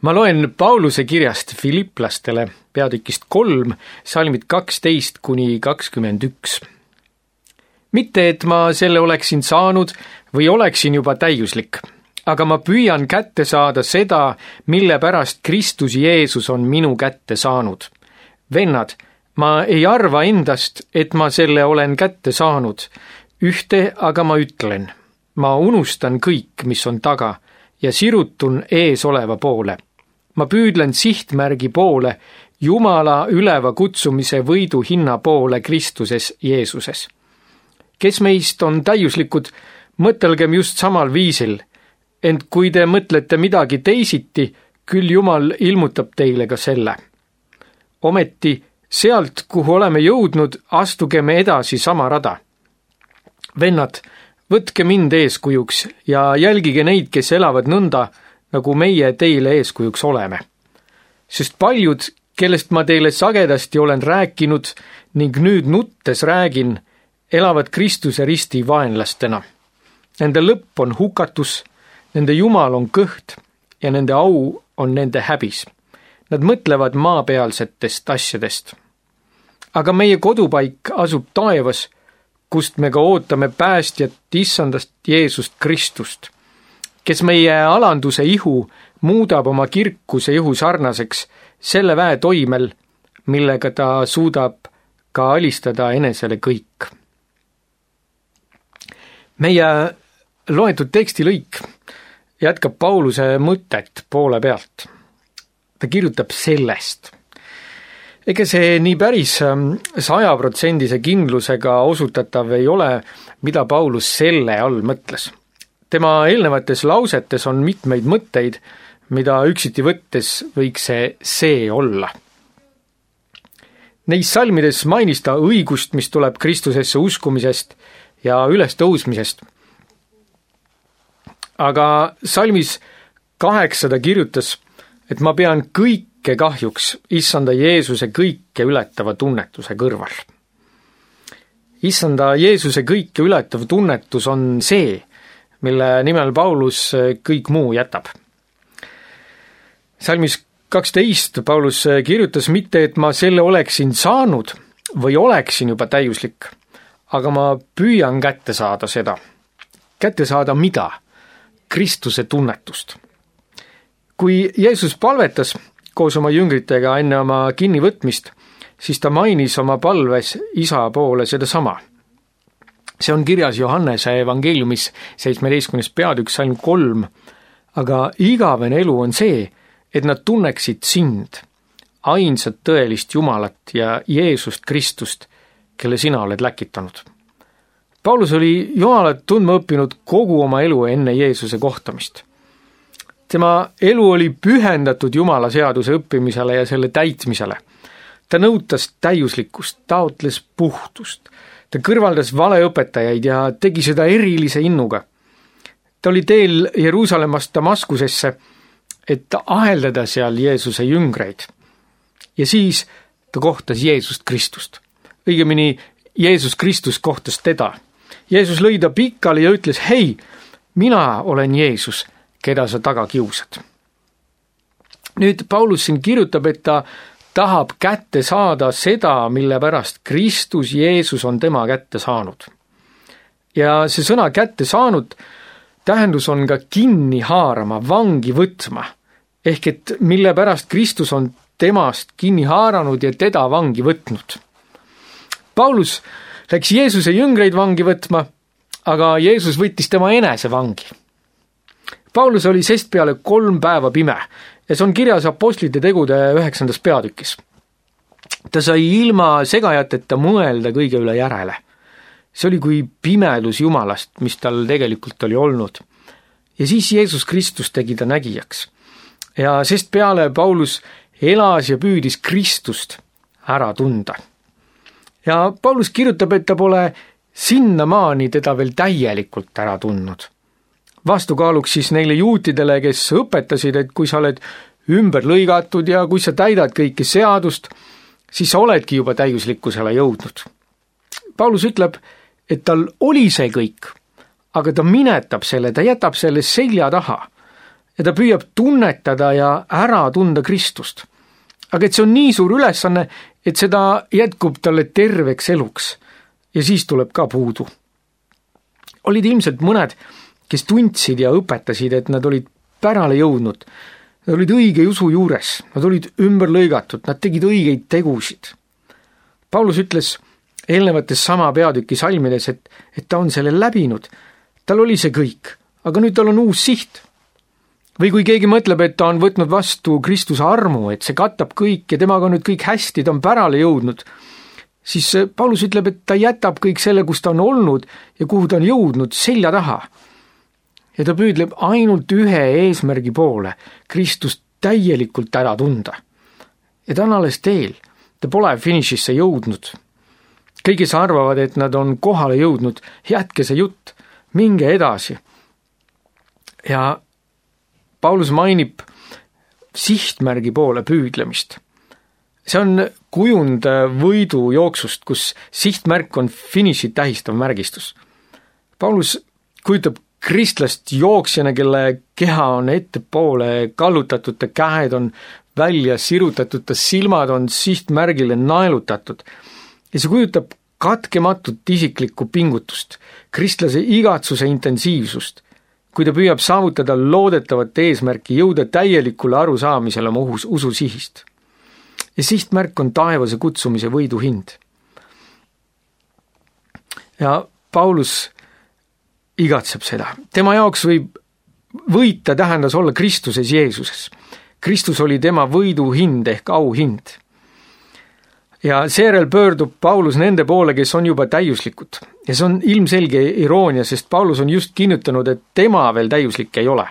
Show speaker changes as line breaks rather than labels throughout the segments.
Ma loen Pauluse kirjast Filiplastele peatükist 3, salmid 12–21. Mitte, et ma selle oleksin saanud või oleksin juba täiuslik, aga ma püüan kätte saada seda, mille pärast Kristus Jeesus on minu kätte saanud. Vennad, ma ei arva endast, et ma selle olen kätte saanud. Ühte aga ma ütlen, ma unustan kõik, mis on taga ja sirutun ees oleva poole. Ma püüdlen sihtmärgi poole, Jumala üleva kutsumise võidu hinna poole Kristuses Jeesuses. Kes meist on täiuslikud, mõtelgem just samal viisil, ent kui te mõtlete midagi teisiti, küll Jumal ilmutab teile ka selle. Ometi sealt, kuhu oleme jõudnud, astugeme edasi sama rada. Vennad, võtke mind eeskujuks ja jälgige neid, kes elavad nõnda, nagu meie teile eeskujuks oleme. Sest paljud, kellest ma teile sagedasti olen rääkinud ning nüüd nuttes räägin, elavad Kristuse risti vaenlastena. Nende lõpp on hukatus, nende Jumal on kõht ja nende au on nende häbis. Nad mõtlevad maapealsetest asjadest. Aga meie kodupaik asub taevas, kust me ka ootame päästjat issandast Jeesust Kristust, kes meie alanduse ihu muudab oma kirkuse ihu sarnaseks selle väe toimel, millega ta suudab ka alistada enesele kõik. Meie loetud tekstilõik jätkab Pauluse mõtet poole pealt. Ta kirjutab sellest. Ega see nii päris 100% kindlusega osutatav ei ole, mida Paulus selle all mõtles. Tema eelnevates lausetes on mitmeid mõtteid, mida üksiti võttes võiks see olla. Neis salmides mainis ta õigust, mis tuleb Kristusesse uskumisest ja ülestõusmisest. Aga salmis 8 ta kirjutas, et ma pean kõike kahjuks issanda Jeesuse kõike ületava tunnetuse kõrval. Issanda Jeesuse kõike ületav tunnetus on see, mille nimel Paulus kõik muu jätab. Salmis 12 Paulus kirjutas mitte, et ma selle oleksin saanud või oleksin juba täiuslik, aga ma püüan kätte saada seda. Kätte saada mida? Kristuse tunnetust. Kui Jeesus palvetas koos oma jüngritega enne oma kinnivõtmist, siis ta mainis oma palves isa poole sedasama. See on kirjas Johannese evangeeliumis 17. peatükk salm 3, aga igavene elu on see, et nad tunneksid sind, ainsat tõelist Jumalat ja Jeesust Kristust, kelle sina oled läkitanud. Paulus oli Jumalat tundma õppinud kogu oma elu enne Jeesuse kohtamist. Tema elu oli pühendatud Jumala seaduse õppimisele ja selle täitmisele. Ta nõutas täiuslikkust, taotles puhtust. Ta kõrvaldas valeõpetajaid ja tegi seda erilise innuga. Ta oli teel Jeruusalemmast Damaskusesse, et aheldada seal Jeesuse jüngreid. Ja siis ta kohtas Jeesust Kristust. Õigemini Jeesus Kristus kohtas teda. Jeesus lõi ta pikali ja ütles, hei, mina olen Jeesus, keda sa taga kiusad. Nüüd Paulus siin kirjutab, et ta tahab kätte saada seda, mille pärast Kristus Jeesus on tema kätte saanud. Ja see sõna kätte saanud tähendus on ka kinni haarama, vangi võtma, ehk et mille pärast Kristus on temast kinni haaranud ja teda vangi võtnud. Paulus läks Jeesuse jüngreid vangi võtma, aga Jeesus võttis tema enese vangi. Paulus oli sest peale 3 päeva pime ja see on kirjas Apostlite tegude 9. peatükis. Ta sai ilma segajateta mõelda kõige üle järele. See oli kui pimedus Jumalast, mis tal tegelikult oli olnud. Ja siis Jeesus Kristus tegi ta nägijaks. Ja sest peale Paulus elas ja püüdis Kristust ära tunda. Ja Paulus kirjutab, et ta pole sinnamaani teda veel täielikult ära tundnud. Vastukaaluks siis neile juutidele, kes õpetasid, et kui sa oled ümber lõigatud ja kui sa täidad kõike seadust, siis sa oledki juba täiuslikkusele jõudnud. Paulus ütleb, et tal oli see kõik, aga ta minetab selle, ta jätab selle selja taha ja ta püüab tunnetada ja ära tunda Kristust. Aga et see on nii suur ülesanne, et seda jätkub talle terveks eluks ja siis tuleb ka puudu. Olid ilmselt mõned, kes tundsid ja õpetasid, et nad olid pärale jõudnud, nad olid õige usu juures, nad olid ümber lõigatud, nad tegid õigeid tegusid. Paulus ütles eelnevates sama peatüki salmides, et ta on selle läbinud, tal oli see kõik, aga nüüd tal on uus siht. Või kui keegi mõtleb, et ta on võtnud vastu Kristuse armu, et see katab kõik ja temaga on nüüd kõik hästi, ta on pärale jõudnud, siis Paulus ütleb, et ta jätab kõik selle, kus ta on olnud ja kuhu ta on jõudnud, selja taha. Ja ta püüdleb ainult ühe eesmärgi poole, Kristust täielikult ära tunda. Ja ta on alles teel, ta pole finišisse jõudnud. Kõik, kes arvavad, et nad on kohale jõudnud, jätke see jutt, minge edasi. Ja Paulus mainib sihtmärgi poole püüdlemist. See on kujund võidujooksust, kus sihtmärk on finišit tähistav märgistus. Paulus kujutab kristlast jooksjana, kelle keha on ettepoole kallutatud, ta käed on välja sirutatud, ta silmad on sihtmärgile naelutatud. Ja see kujutab katkematut isiklikku pingutust, kristlase igatsuse intensiivsust, kui ta püüab saavutada loodetavat eesmärki, jõuda täielikule arusaamisele oma usu sihist. Ja sihtmärk on taevase kutsumise võidu hind. Ja Paulus igatseb seda. Tema jaoks võib võita tähendas olla Kristuses Jeesuses. Kristus oli tema võidu hind ehk auhind. Ja seejärel pöördub Paulus nende poole, kes on juba täiuslikud. Ja see on ilmselge iroonia, sest Paulus on just kinnitanud, et tema veel täiuslik ei ole.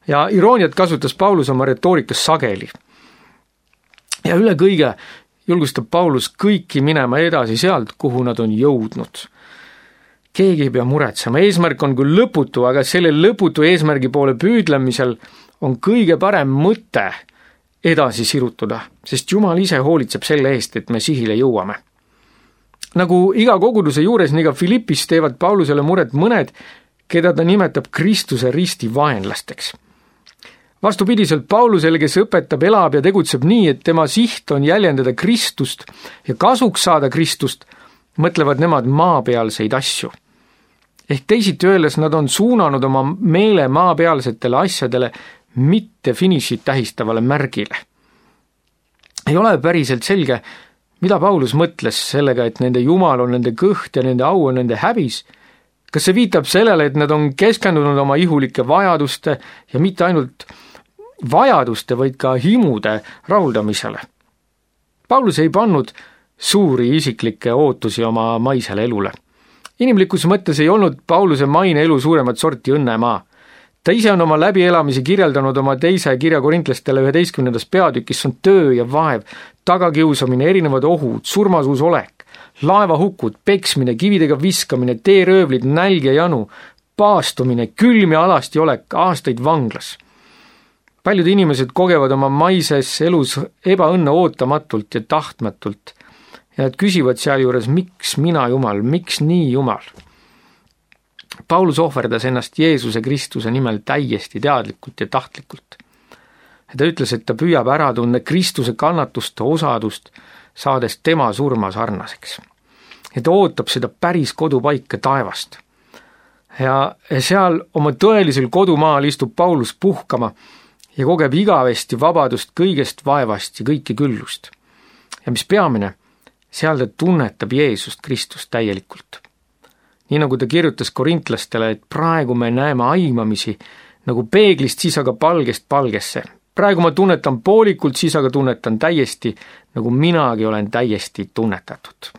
Ja irooniat kasutas Paulus oma retoorikas sageli. Ja üle kõige julgustab Paulus kõiki minema edasi sealt, kuhu nad on jõudnud. Keegi ei pea muretsema, eesmärk on küll lõputu, aga selle lõputu eesmärgi poole püüdlemisel on kõige parem mõte edasi sirutuda, sest Jumal ise hoolitseb selle eest, et me sihile jõuame. Nagu iga koguduse juures, nii ka Filippis teevad Paulusele muret mõned, keda ta nimetab Kristuse risti vaenlasteks. Vastupidiselt Paulusele, kes õpetab, elab ja tegutseb nii, et tema siht on jäljendada Kristust ja kasuks saada Kristust, mõtlevad nemad maapealseid asju. Ehk teisiti öeldes nad on suunanud oma meele maapealsetele asjadele, mitte finišit tähistavale märgile. Ei ole päriselt selge, mida Paulus mõtles sellega, et nende Jumal on nende kõht ja nende au on nende häbis. Kas see viitab sellele, et nad on keskendunud oma ihulike vajaduste ja mitte ainult vajaduste, vaid ka himude rahuldamisele? Paulus ei pannud suuri isiklikke ootusi oma maisele elule. Inimlikus mõttes ei olnud Pauluse maine elu suuremat sorti õnnemaa. Ta ise on oma läbielamisi kirjeldanud oma teise kirja korintlastele 11. peatükis, on töö ja vaev, tagakiusamine, erinevad ohud, surmasuus olek, laevahukud, peksmine, kividega viskamine, teeröövlid, nälg ja janu, paastumine, külm ja alasti olek, aastaid vanglas. Paljud inimesed kogevad oma maises elus ebaõnne ootamatult ja tahtmatult ja nad küsivad sealjuures, miks mina Jumal, miks nii Jumal? Paulus ohverdas ennast Jeesuse Kristuse nimel täiesti teadlikult ja tahtlikult. Ta ütles, et ta püüab ära tunda Kristuse kannatuste osadust, saades tema surma sarnaseks. Ja ta ootab seda päris kodupaika taevast. Ja seal oma tõelisel kodumaal istub Paulus puhkama ja kogeb igavesti vabadust kõigest vaevast ja kõike küllust. Ja mis peamine, seal ta tunnetab Jeesust Kristust täielikult. Nii nagu ta kirjutas korintlastele, et praegu me näeme aimamisi nagu peeglist, siis aga palgest palgesse. Praegu ma tunnetan poolikult, siis aga tunnetan täiesti, nagu minagi olen täiesti tunnetatud.